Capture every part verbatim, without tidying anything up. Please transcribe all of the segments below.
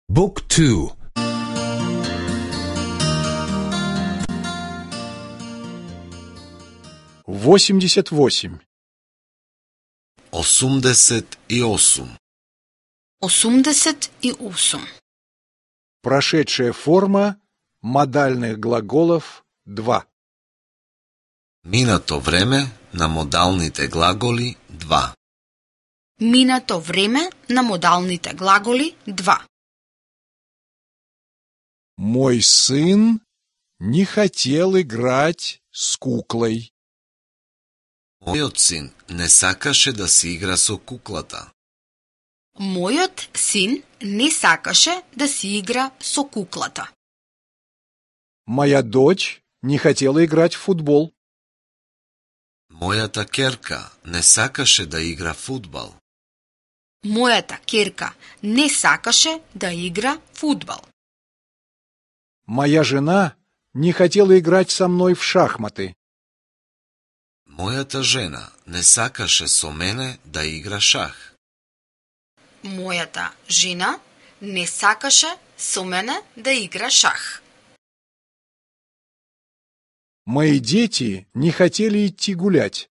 Book two. восемьдесят восемь. осумдесет и осум. осумдесет и осум. Прошедшая форма модальных глаголов два. Минато време на модалните глаголи два. Минато време на модалните глаголи два. Мой сын не хотел играть с куклой. Мојот син не сакаше да се игра со куклата. Мојот син не сакаше да си игра со куклата. Моя дочь не хотела играть в футбол. Мојата ќерка не сакаше да игра фудбал. Мојата ќерка не сакаше да игра фудбал. Моя жена не хотела играть со мной в шахматы. Мојата жена не сакаше со мене да игра шах. Мојата жена не сакаше со мене да игра шах. Мои дети не хотели идти гулять.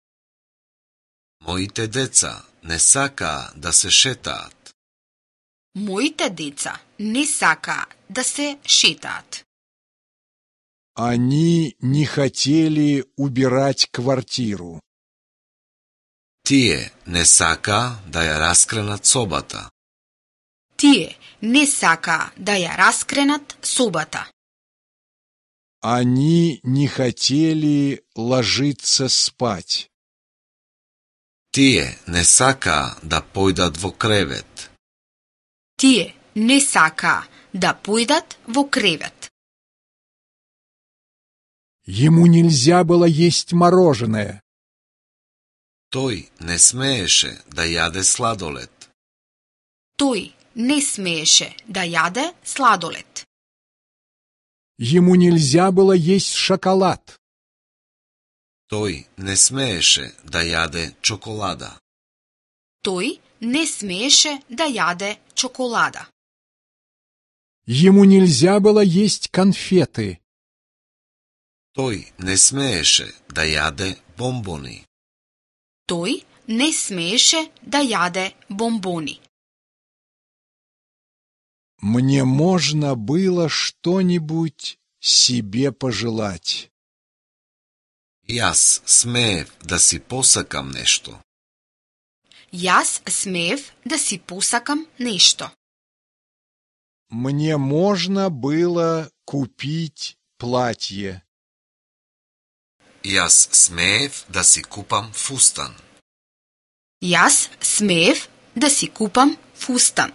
Моите деца не сакаа да се шетаат. Моите деца не сакаа да се шетаат. Они не хотели убирать квартиру. Тие не сакаа да ја раскренат собата. Тие не сакаа да ја раскренат собата. Они не хотели ложиться спать. Тие не сакаа да појдат во кревет. Тие не сакаа да појдат во кревет. Ему нельзя было есть мороженое. Тој не смееше да јаде сладолед. Тој не смееше да јаде сладолед. Ему нельзя было есть шоколад. Тој не смееше да јаде чоколада. Тој не смееше да јаде чоколада. Ему нельзя было есть конфеты. Тој не смееше да јаде бомбони. Тој не смееше да јаде бомбони. Мне можно было что-нибудь себе пожелать. Јас смеев да си посакам нешто. Јас смеев да си посакам нешто. Мне можно было купить платье. Јас смеев да си купам фустан. Јас смеев да си купам фустан.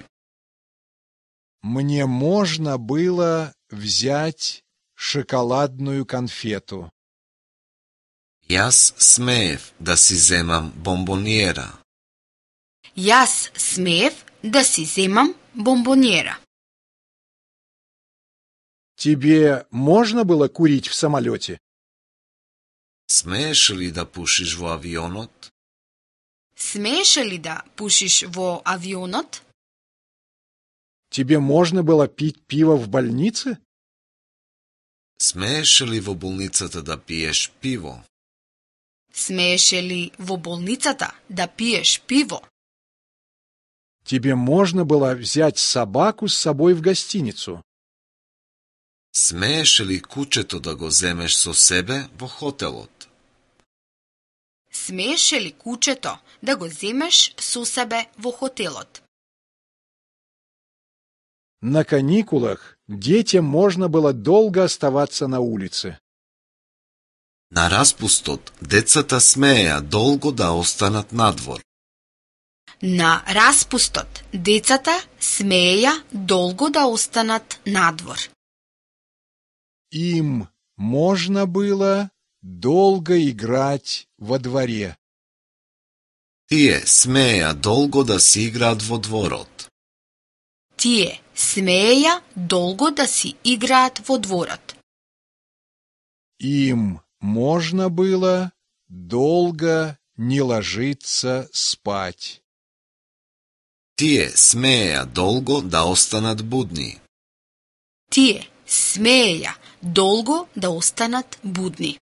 Мне можно было взять шоколадную конфету. Јас смеев да си земам бомбониера. Јас смеев да си земам бомбониера. Тебе можно было курить в самолете? Смееш ли да пушиш во авионот? Смееше ли да пушиш во авионот? Тебе можно было пить пиво в больнице? Смееш ли во болницата да пиеш пиво? Смееше ли во болницата да пиеш пиво? Тебе можно было взять собаку с собой в гостиницу? Смееш ли кучето да го земеш со себе во хотелот? Смееше ли кучето да го земеш со себе во хотелот? На каникулах детям можно было долго оставаться на улице. На распустот децата смееа долго да останат надвор. На распустот децата смееја долго да останат надвор. Им можно было долго играть во дворе. Тие смееа долго да си играат во дворот. Тие смееја долго да си играат во дворот. Им можно было долго не ложиться спать. Тие смееја долго да останат будни. Тие смееја долго да останат будни.